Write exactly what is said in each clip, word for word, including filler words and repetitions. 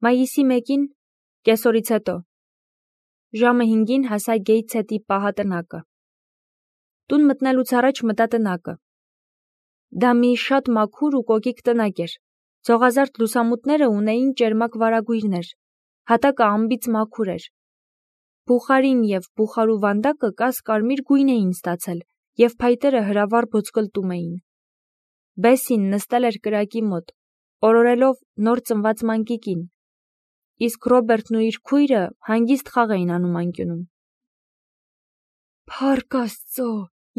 Մայիսի մեկին, կեսօրից հետո, ժամը հինգին հասա Գեյթսհեթի պահատնակը։ Տուն մտնելուց առաջ մտա տնակը։ Դա մի շատ մաքուր ու կոկիկ տնակ էր։ Ցողազարդ լուսամուտները ունեին ճերմակ վարագույրներ, հատակը անբիծ մաքուր էր։ Բուխարին և բուխարու վանդակը կաս-կարմիր գույն էին ստացել և փայտերը հրավառ բոցկլտում էին։ Բեսին նստել էր կրակի մոտ, օրորելով նոր ծնված մանկիկին, իսկ Ռոբերտն ու իր քույրը հանգիստ խաղ էին անում անկյունում։ «Փառք Աստծո,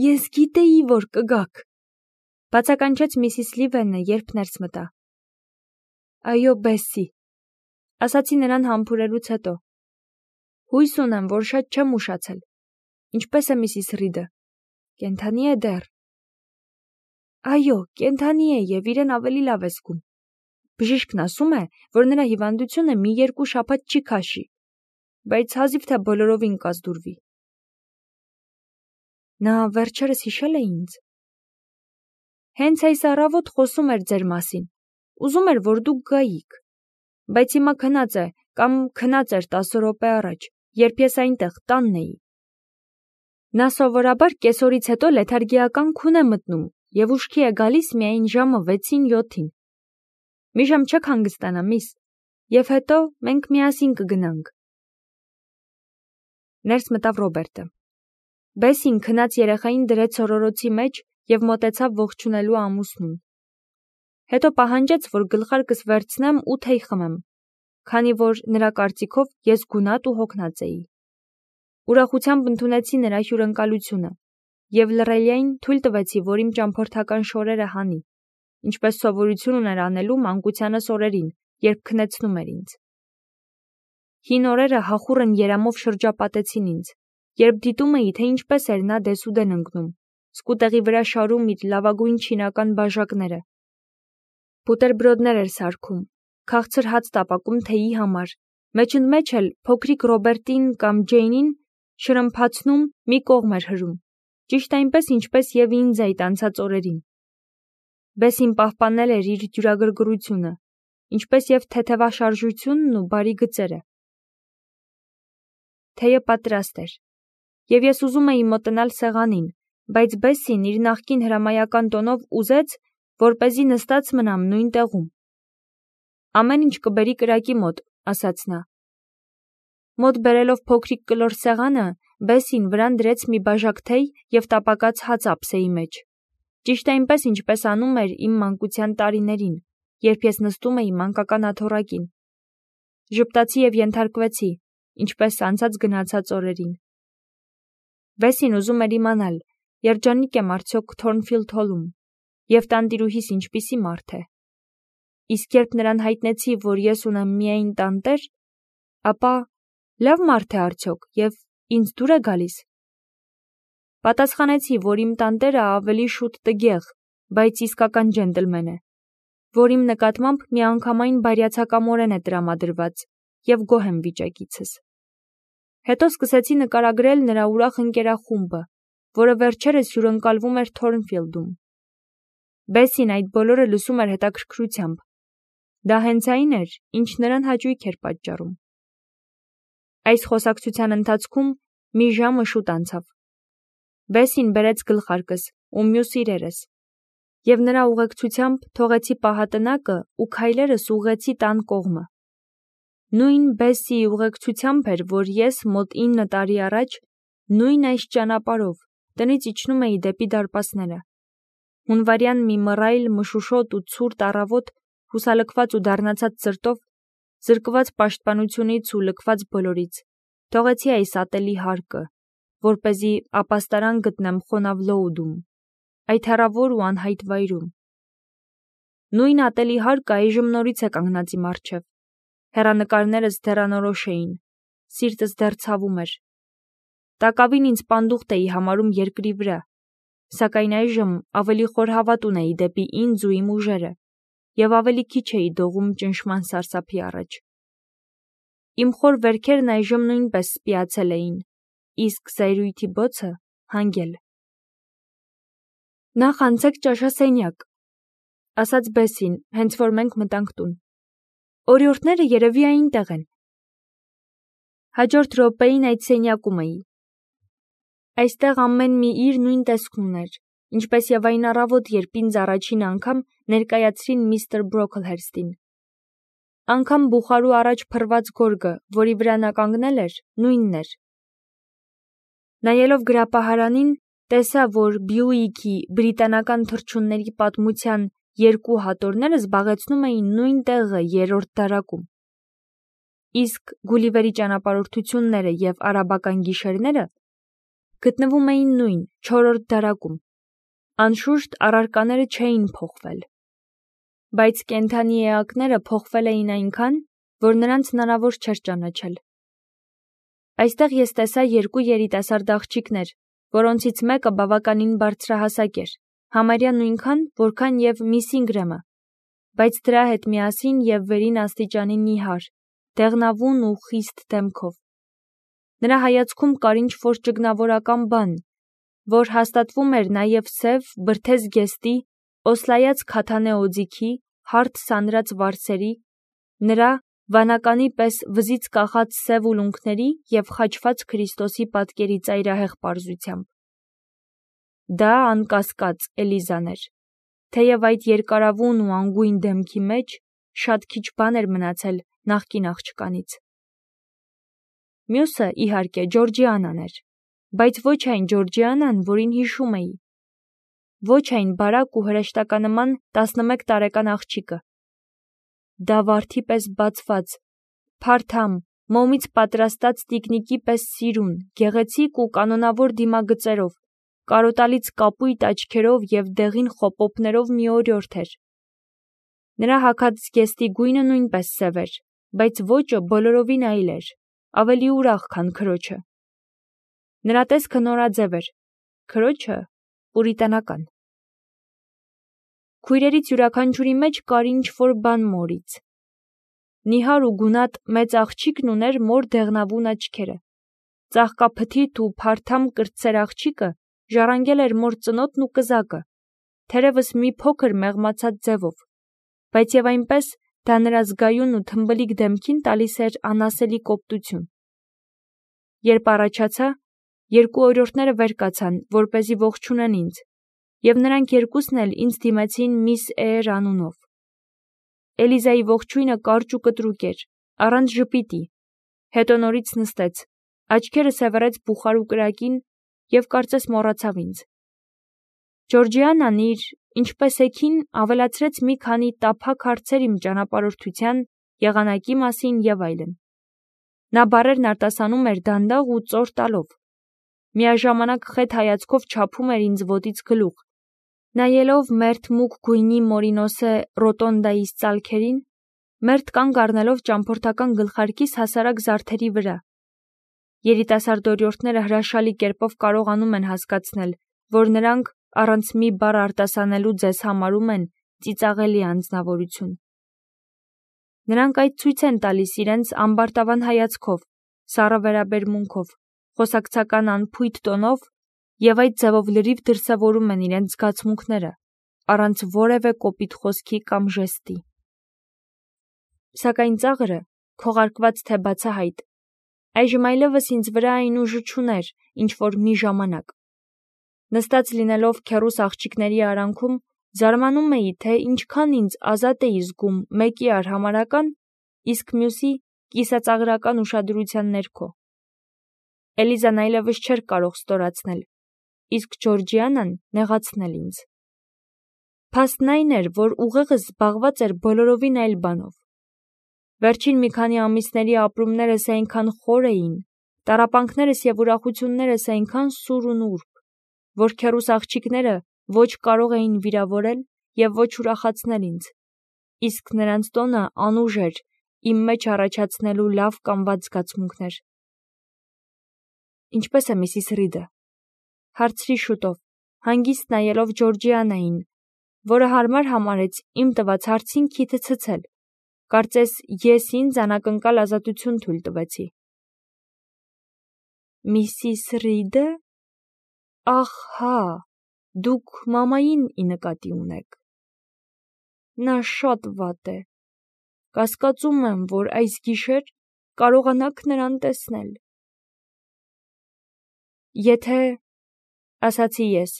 ես գիտեի, որ կգաք», բացականչեց միսիս Լիվենը, երբ ներս մտա։ «Այո, Բեսսի», ասացի նրան համբուրելուց հետո։ Հույս ունեմ, որ շատ չեմ ուշացել։ Ինչպե՞ս է միսիս Ռիդը։ Կենդանի է դեռ։ Այո, կենդանի է և իրեն ավելի լավ է զգում։ Բժիշկն ասում է, որ նրա հիվանդությունը մի երկու շաբաթ չի քաշի, բայց հազիվ թե բոլորովին կազդուրվի։ Նա վերջերս հիշել է ինձ։ Հենց այս առավոտ խոսում էր ձեր մասին, ուզում էր, որ դուք գայիք, բայց հիմա քնած է կամ քնած էր տասը րոպե առաջ, երբ ես այնտեղ տանն էի։ Նա սովորաբար կեսօրից հետո լեթարգիական քուն է մտնում և ուշքի է գալիս միայն ժամը վեցին յոթին։ Մի ժամ չեք հանգստանա, միս, և հետո մենք միասին կգնանք։ Ներս մտավ Ռոբերտը։ Բեսին քնած երեխային դրեց օրորոցի մեջ և մոտեցավ ողջունելու ամուսնուն։ Հետո պահանջեց, որ գլխարկս վերցնեմ ու թեյ խմեմ, քանի որ նրա կարծիքով ես գունատ ու հոգնած էի։ Ուրախությամբ ընդունեցի նրա հյուրընկալությունը և լռելիայն թույլ տվեցի, որ իմ ճամփորդական շորերը հանի, ինչպես սովորություն ուներ անելու մանկությանս օրերին, երբ քնեցնում էր ինձ։ Հին օրերը հախուռն երամով շրջապատեցին ինձ, երբ դիտում էի, թե ինչպես էր նա դեսուդեն ընկնում, սկուտեղի վրա շարում իր լավագույն չինական բաժակները։ Բուտերբրոդներ էր սարքում, քաղցր հաց տապակում թեյի համար, մեջընդմեջ էլ փոքրիկ Ռոբերտին կամ Ջեյնին շրմփացնում մի կողմ էր հրում, ճիշտ այնպես, ինչպես և ինձ այդ անցած օրերին։ Բեսին պահպանել էր իր դյուրագրգռությունը, ինչպես և թեթևաշարժությունն ու բարի գծերը։ Թեյը պատրաստ էր, և ես ուզում էի մոտենալ սեղանին, բայց Բեսին իր նախկին հրամայական տոնով ուզեց, որպեսզի նստած մնամ նույն տեղում։ Ամեն ինչ կբերի կրակի մոտ, ասաց նա։ Մոտ բերելով փոքրիկ կլոր սեղանը, Բեսին վրան դրեց մի բաժակ թեյ և տապակած հաց ափսեի մեջ, ճիշտ այնպես, ինչպես անում էր իմ մանկության տարիներին, երբ ես նստում էի մանկական աթոռակին։ Ժպտացի և ենթարկվեցի, ինչպես անցած գնացած օրերին։ Բեսին ուզում էր իմանալ, երջանիկ եմ արդյոք Թորնֆիլդ Հոլում, և տանտիրուհիս ինչպիսի մարդ է։ Իսկ երբ նրան հայտնեցի, որ ես ունեմ միայն տանտեր, ապա լավ մարդ է արդյոք և ինձ դուր է գալիս։ Պատասխանեցի, որ իմ տանտերը ավելի շուտ տգեղ, բայց իսկական ջենտլմեն է, որ իմ նկատմամբ միանգամայն բարյացակամորեն է տրամադրված և գոհ եմ վիճակիցս։ Հետո սկսեցի նկարագրել նրա ուրախ ընկերախումբը, որը վերջերս հյուրընկալվում էր Թորնֆիլդում։ Բեսին այդ բոլորը լսում էր հետաքրքրությամբ։ Դա հենց այն էր, ինչ նրան հաճույք էր պատճառում։ Այս խոսակցության ընթացքում մի ժամը շուտ անցավ։ Բեսին բերեց գլխարկս ու մյուս իրերս, և նրա ուղեկցությամբ թողեցի պահատնակը ու քայլերս ուղղեցի տան կողմը։ Նույն Բեսիի ուղեկցությամբ էր, որ ես մոտ ինը տարի առաջ նույն այս ճանապարհով տնից իջնում էի դեպի դարպասները։ Հունվարյան մի մռայլ, մշուշոտ ու ցուրտ առավոտ, հուսալքված ու դառնացած սրտով, զրկված պաշտպանությունից ու լքված բոլորից, թողեցի այս ատելի հարկը, որպեսզի ապաստարան գտնեմ խոնավ Լոուդում, այդ հեռավոր ու անհայտ վայրում։ Նույն ատելի հարկը այժմ նորից է կանգնած իմ առջև։ Հեռանկարներս դեռ անորոշ էին, սիրտս դեռ ցավում էր։ Տակավին ինձ պանդուխտ էի համարում երկրի վրա, սակայն այժմ ավելի խոր հավատ ունեի դեպի ինձ ու իմ ուժերը, և ավելի քիչ էի դողում ճնշման սարսափի առաջ։ Իմ խոր վերքերն այժմ նույնպես սպիացել էին, իսկ զայրույթի բոցը հանգել։ Նախ անցեք ճաշասենյակ, ասաց Բեսին, հենց որ մենք մտանք տուն։ Օրիորդները երևի այնտեղ են։ Հաջորդ րոպեին այդ սենյակում էի։ Այստեղ ամեն մի իր նույն տեսքն ուներ, ինչպես եւ այն առավոտ, երբ ինձ առաջին անգամ ներկայացրին միստր Բրոքլհերստին։ Անգամ բուխարու առաջ փռված գորգը, որի վրա նա կանգնել էր, նույնն էր։ Նայելով գրապահարանին, տեսա, որ Բյուիկի բրիտանական թռչունների պատմության երկու հատորները զբաղեցնում էին նույն տեղը երրորդ դարակում։ Իսկ Գուլիվերի ճանապարհորդությունները եւ արաբական գիշերները գտնվում էին նույն չորրորդ դարակում։ Անշուշտ առարկաները չէին փոխվել, բայց կենդանի էակները փոխվել էին այնքան, որ նրանց հնարավոր չէր ճանաչել։ Այստեղ ես տեսա երկու երիտասարդ աղջիկներ, որոնցից մեկը բավականին բարձրահասակ էր, համարյա նույնքան, որքան եւ միս Ինգրեմը, բայց դրա հետ միասին եւ վերին աստիճանի նիհար, դեղնավուն ու խիստ դեմքով։ Նրա հայացքում կար ինչ-որ ճգնավորական բան, որ հաստատվում էր նաեւ սև, բրդեզգեստի, օսլայած քաթանե օձիքի, հարթ սանրած վարսերի, նրա վանականի պես վզից կախած սև ուլունքների եւ խաչված Քրիստոսի պատկերի ծայրահեղ պարզությամբ։ Դա անկասկած Էլիզան էր, թեև այդ երկարավուն ու անգույն դեմքի մեջ շատ քիչ բան էր մնացել նախկին աղջկանից։ Մյուսը, իհարկե, Ջորջիանան էր, բայց ոչ այն Ջորջիանան, որին հիշում էի։ Ոչ այն բարակ ու հրեշտականման տասնմեկ տարեկան աղջիկը։ Դա վարդի պես բացված, փարթամ, մոմից պատրաստած տիկնիկի պես սիրուն, գեղեցիկ ու կանոնավոր դիմագծերով, կարոտալից կապույտ աչքերով եւ դեղին խոպոպներով մի օրիորդ էր։ Նրա հագած զգեստի գույնը նույնպես սև էր, բայց ոճը բոլորովին այլ էր, ավելի ուրախ, քան քրոջը։ Նրա տեսքը նորաձև էր, քրոջը պուրիտանական։ Քույրերից յուրաքանչյուրի մեջ կար ինչ-որ բան մորից։ Նիհար ու գունատ մեծ աղջիկն ուներ մոր դեղնավուն աչքերը։ Ծաղկափթիթ ու փարթամ կրտսեր աղջիկը ժառանգել էր մոր ծնոտն ու կզակը, թերևս մի փոքր մեղմացած ձևով, բայց եւ այնպես դա նրա զգայուն ու թմբլիկ դեմքին տալիս էր անասելի կոպտություն։ Երբ առաջացա, երկու օրիորդները վեր կացան, որպեսզի ողջունեն ինձ, եւ նրանք երկուսն էլ ինձ դիմեցին միս Էյր անունով։ Էլիզայի ողջույնը կարճ ու կտրուկ էր, առանց ժպիտի, հետո նորից նստեց, աչքերը սևեռեց բուխարու կրակին եւ կարծես մոռացավ ինձ։ Ջորջիանան իր «Ինչպես եք»-ին ավելացրեց մի քանի տափակ հարցեր իմ ճանապարհորդության, եղանակի մասին եւ այլն։ Նա բառերն արտասանում էր դանդաղ ու ծոր տալով։ Միաժամանակ խետ հայացքով չափում էր ինձ ոտից գլուխ, նայելով մերթ մուգ գույնի մորինոսե ռոտոնդայիս ծալքերին, մերթ կանգ առնելով ճամփորդական գլխարկիս հասարակ զարդերի վրա։ Երիտասարդ օրիորդները հրաշալի կերպով կարողանում են հասկացնել, որ նրանք առանց մի բառ արտասանելու ձեզ համարում են ծիծաղելի անձնավորություն։ Նրանք այդ ցույց են տալիս իրենց ամբարտավան հայացքով, սառը վերաբերմունքով, խոսակցական անփույթ տոնով եւ այդ ձևով լրիվ դրսևորում են իրենց զգացմունքները, առանց որևէ կոպիտ խոսքի կամ ժեստի։ Սակայն ծաղրը քողարկված թե բացահայտ, այժմ այլևս ինձ վրա այն ուժը չուներ, ինչ որ մի ժամանակ։ Նստած լինելով քեռուս աղջիկների արանքում, զարմանում էի, թե ինչքան ինձ ազատ էի զգում մեկի արհամարհական, իսկ մյուսի կիսածաղրական ուշադրության ներքո։ Էլիզան այլևս չէր կարող ստորացնել, իսկ Ջորջիանան նեղացնել ինձ։ Փաստն այն էր, որ ուղեղս զբաղված էր բոլորովին այլ բանով։ Վերջին մի քանի ամիսների ապրումներս այնքան խոր էին, տառապանքներս եւ ուրախություններս այնքան սուր ու նուրբ, որ քեռուս աղջիկները ոչ կարող էին վիրավորել եւ ոչ ուրախացնել ինձ, իսկ նրանց տոնը անուժ էր իմ մեջ առաջացնելու լավ կամ վատ զգացմունքներ։ Ինչպե՞ս է միսիս Ռիդը, հարցրի շուտով, հանգիստ նայելով Ջորջիանային, որը հարմար համարեց իմ տված հարցին քիթը ցցել, կարծես ես ինձ անակնկալ ազատություն թույլ տվեցի։ Միսիս Ռիդը։ Ահ, հա, դուք մամային ի նկատի ունեք։ Նա շատ վատ է, կասկածում եմ, որ այս գիշեր կարողանաք նրան տեսնել։ Եթե, ասացի ես,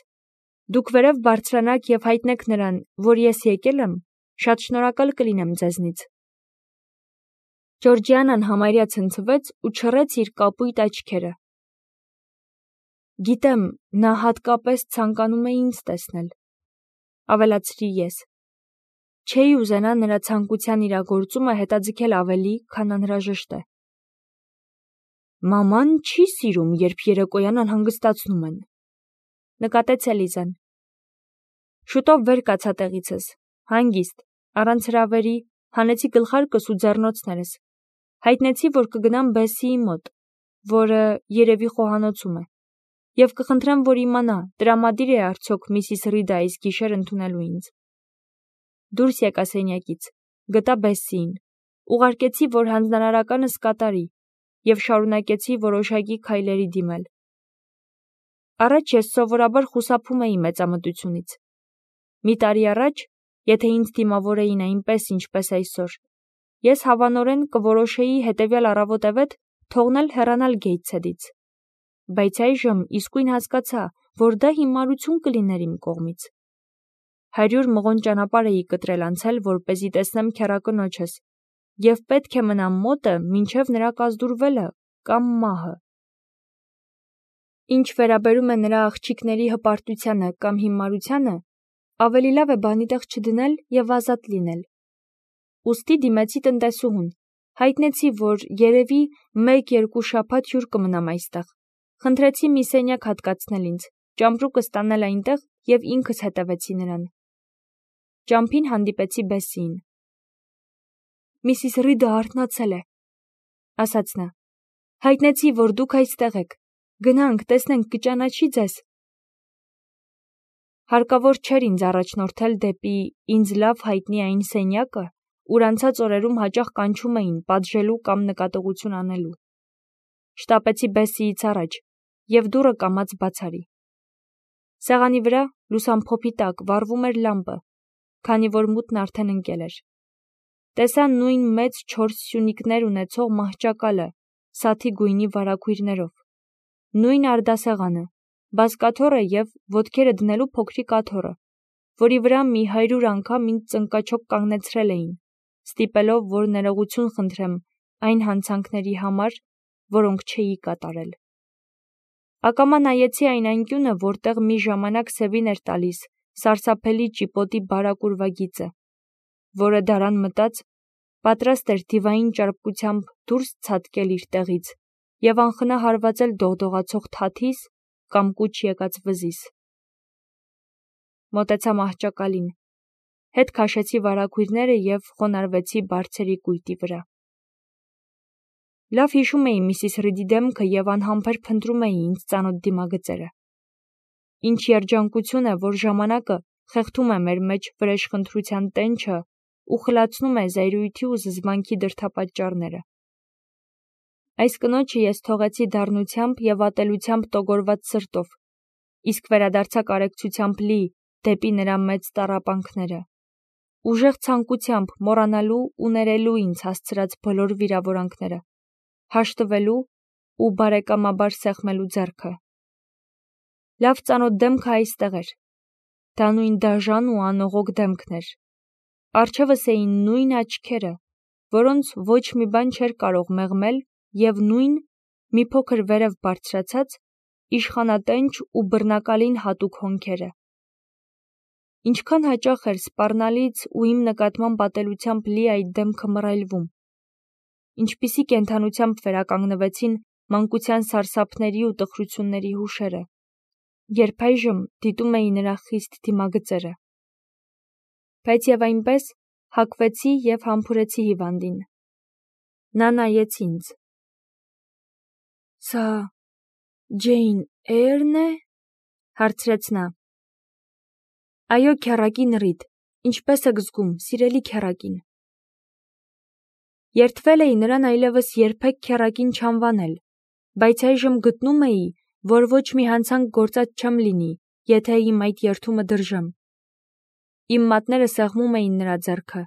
դուք վերև բարձրանաք և հայտնեք նրան, որ ես եկել եմ, շատ շնորհակալ կլինեմ ձեզնից։ Ջորջիանան համարյա ցնցվեց ու չռեց իր կապույտ աչքերը։ Գիտեմ, նա հատկապես ցանկանում է ինձ տեսնել, ավելացրի ես։ Չէի ուզենա նրա ցանկության իրագործումը հետաձգել ավելի, քան անհրաժեշտ է։ Մաման չի սիրում, երբ երեկոյան անհանգստացնում են, նկատեց Էլիզան։ Շուտով վեր կացա տեղիցս, հանգիստ, առանց հրավերի, հանեցի գլխարկս ու ձեռնոցներս, հայտնեցի, որ կգնամ Բեսիի մոտ, որը երևի խոհանոցում է, և կխնդրեմ, որ իմանա, տրամադիր է արդյոք Միսիս Ռիդը այս գիշեր ընդունելու ինձ։ Դուրս եկա սենյակից, գտա Բեսիին, ուղարկեցի, որ հանձնարարականս կատարի, և շարունակեցի որոշակի քայլերի դիմել։ Առաջ ես սովորաբար խուսափում էի մեծամտությունից։ Մի տարի առաջ, եթե ինձ դիմավոր էին այնպես, ինչպես այսօր, ես հավանորեն կորոշեի հետևյալ առավոտևետ թողնել հեռանալ Գեյթսեդից։ Բայց այժմ իսկույն հասկացա, որ դա հիմարություն կլիներ իմ կողմից։ Հարյուր մղոն ճանապարհ էի կտրել անցել, որպեսզի տեսնեմ քեռակնոջս, և պետք է մնամ մոտը, մինչև նրա կազդուրվելը կամ մահը։ Ինչ վերաբերում է նրա աղջիկների հպարտությանը կամ հիմարությանը, ավելի լավ է բանի տեղ չդնել և ազատ լինել։ Ուստի դիմեցի տնտեսուհուն, հայտնեցի, որ երևի մեկ-երկու շաբաթ հյուր կմնամ այստեղ։ Խնդրեցի մի սենյակ հատկացնել ինձ, ճամպրուկս տանել այնտեղ և ինքս հետևեցի նրան։ Ճամփին հանդիպեցի Բեսիին։ Միսիս Ռիդը արթնացել է, ասաց նա։ Հայտնեցի, որ դուք այստեղ եք։ Գնանք, տեսնենք, կճանաչի ձեզ։ Հարկավոր չէր ինձ առաջնորդել դեպի ինձ լավ հայտնի այն սենյակը, ուր անցած օրերում հաճախ կանչում էին պատժելու կամ նկատողություն անելու։ Շտապեցի Բեսիից առաջ և դուռը կամաց բացարի։ Սեղանի վրա լուսամփոփի տակ վառվում էր լամպը, քանի որ մութն արդեն ընկել էր։ Տեսա նույն մեծ չորս սյունիկներ ունեցող մահճակալը, սաթի գույնի վարագույրներով, նույն արդասեղանը, բազկաթոռը և ոտքերը դնելու փոքրիկ աթոռը, որի վրա մի հարյուր անգամ ինձ ծնկաչոք կանգնեցրել էին, ստիպելով, որ ներողություն խնդրեմ այն հանցանքների համար, որոնք չէի կատարել։ Ակամա նայեցի այն անկյունը, որտեղ մի ժամանակ Սևին էր տալիս սարսափելի ճիպոտի բարակ ուրվագիծը, որը դարան մտած, պատրաստ էր դիվային ճարպկությամբ դուրս ցատկել իր տեղից և անխնա հարվածել դողդողացող թաթիս կամ կուչ եկած վզիս։ Մոտեցա մահճակալին, հետ քաշեցի վարագույրները և խոնարհվեցի բարձրի կույտի վրա։ Լավ հիշում էի Միսիս Ռիդի դեմքը և անհամբեր փնտրում էի ինձ ծանոթ դիմագծերը։ Ինչ երջանկություն է, որ ժամանակը խեղդում է մեր մեջ վրեժխնդրության տենչը ու խլացնում է զայրույթի ու զզվանքի դրդապատճառները։ Այս կնոջը ես թողեցի դառնությամբ և ատելությամբ տոգորված սրտով, իսկ վերադարձա կարեկցությամբ լի դեպի նրա մեծ տառապանքները, ուժեղ ցանկությամբ մոռանալու ու ներելու ինձ հասցրած բոլոր վիրավորանքները, հաշտվելու ու բարեկամաբար սեղմելու ձեռքը։ Լավ ծանոթ դեմքը այստեղ էր։ Դա նույն դաժան ու անողոք դեմքն էր։ Առջևս էին նույն աչքերը, որոնց ոչ մի բան չէր կարող մեղմել, և նույն, մի փոքր վերև բարձրացած, իշխանատենչ ու բռնակալին հատուկ հոնքերը։ Ինչքան հաճախ էր սպառնալից ու իմ նկատմամբ ատելությամբ լի այդ դեմքը մռայլվում։ Ինչպիսի կենդանությամբ վերականգնվեցին մանկության սարսափների ու տխրությունների հուշերը, երբ այժմ դիտում էի նրա խիստ դիմագծերը։ Բայց և այնպես հագվեցի և համբուրեցի հիվանդին։ Նա նայեց ինձ։ Սա Ջեյն Էյրն է, հարցրեց նա։ Այո, քեռակին Ռիդ, ինչպես եք զգում, սիրելի քեռակին։ Երդվել էի նրան այլևս երբեք քեռակին չանվանել, բայց այժմ գտնում էի, որ ոչ մի հանցանք գործած չեմ լինի, եթե իմ այդ երդումը դրժեմ։ Իմ մատները սեղմում էին նրա ձեռքը,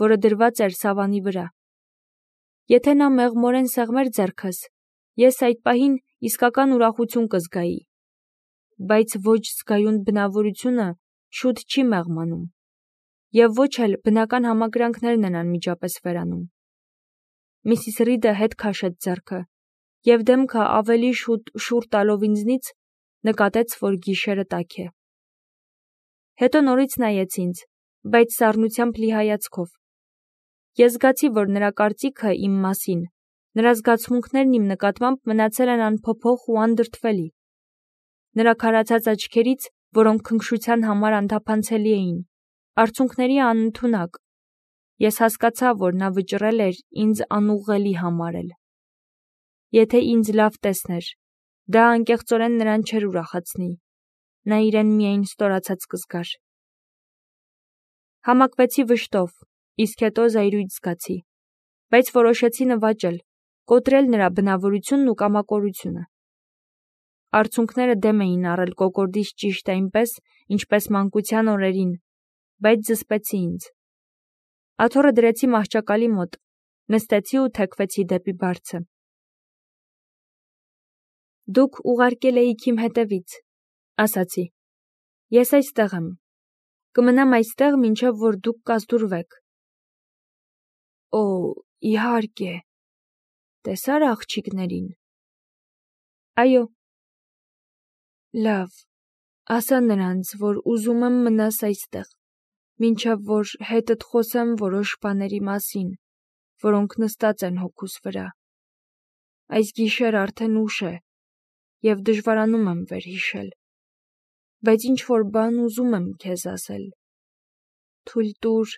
որը դրված էր սավանի վրա։ Եթե նա մեղմորեն սեղմեր ձեռքս, ես այդ պահին իսկական ուրախություն կզգայի, բայց ոչ զգայուն բնավորությունը շուտ չի մեղմանում, և ոչ էլ բնական համակրանքներն են անմիջապես վերանում։ Միսիս Ռիդը հետ քաշեց ձեռքը, և դեմքը ավելի շուտ շուռ տալով ինձնից, նկատեց, որ գիշերը տաք է։ Հետո նորից նայեց ինձ, բայց սառնությամբ լի հայացքով։ Ես զգացի, որ նրա կարծիքը իմ մասին, նրա զգացմունքներն իմ նկատմամբ մնացել են անփոփոխ ու անդրդվելի։ Նրա քարացած աչքերից, որոնք քնքշության համար անթափանցելի էին, արցունքների անընդունակ, ես հասկացա, որ նա վճռել էր ինձ անուղղելի համարել։ Եթե ինձ լավ տեսներ, դա անկեղծորեն նրան չէր ուրախացնի, նա իրեն միայն ստորացած կզգար։ Համակվեցի վշտով, իսկ հետո զայրույթ զգացի, բայց որոշեցի նվաճել, կոտրել նրա բնավորությունն ու կամակորությունը։ Արցունքները դեմ էին առել կոկորդից ճիշտ այնպես, ինչպես մանկության օրերին, բայց զսպեցի ինձ։ Աթոռը դրեցի մահճակալի մոտ, նստեցի ու թեքվեցի դեպի բարձը։ Դուք ուղարկել էիք իմ հետևից, ասացի։ Ես այստեղ եմ։ Կմնամ այստեղ, մինչև որ դուք կազդուրվեք։ Օ, իհարկե։ Տեսա՞ր աղջիկներին։ Այո։ Լավ, ասա նրանց, որ ուզում եմ մնաս այստեղ, մինչև որ հետդ խոսեմ որոշ բաների մասին, որոնք նստած են հոգուս վրա։ Այս գիշեր արդեն ուշ է, և դժվարանում եմ վերհիշել, բայց ինչ-որ բան ուզում եմ քեզ ասել։ Թույլ տուր։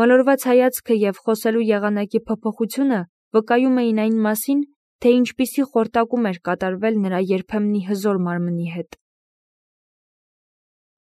Մոլորված հայացքը և խոսելու եղանակի փոփոխությունը վկայում էին այն մասին, թե ինչպիսի խորտակում էր կատարվել նրա երբեմնի հզոր մարմնի հետ։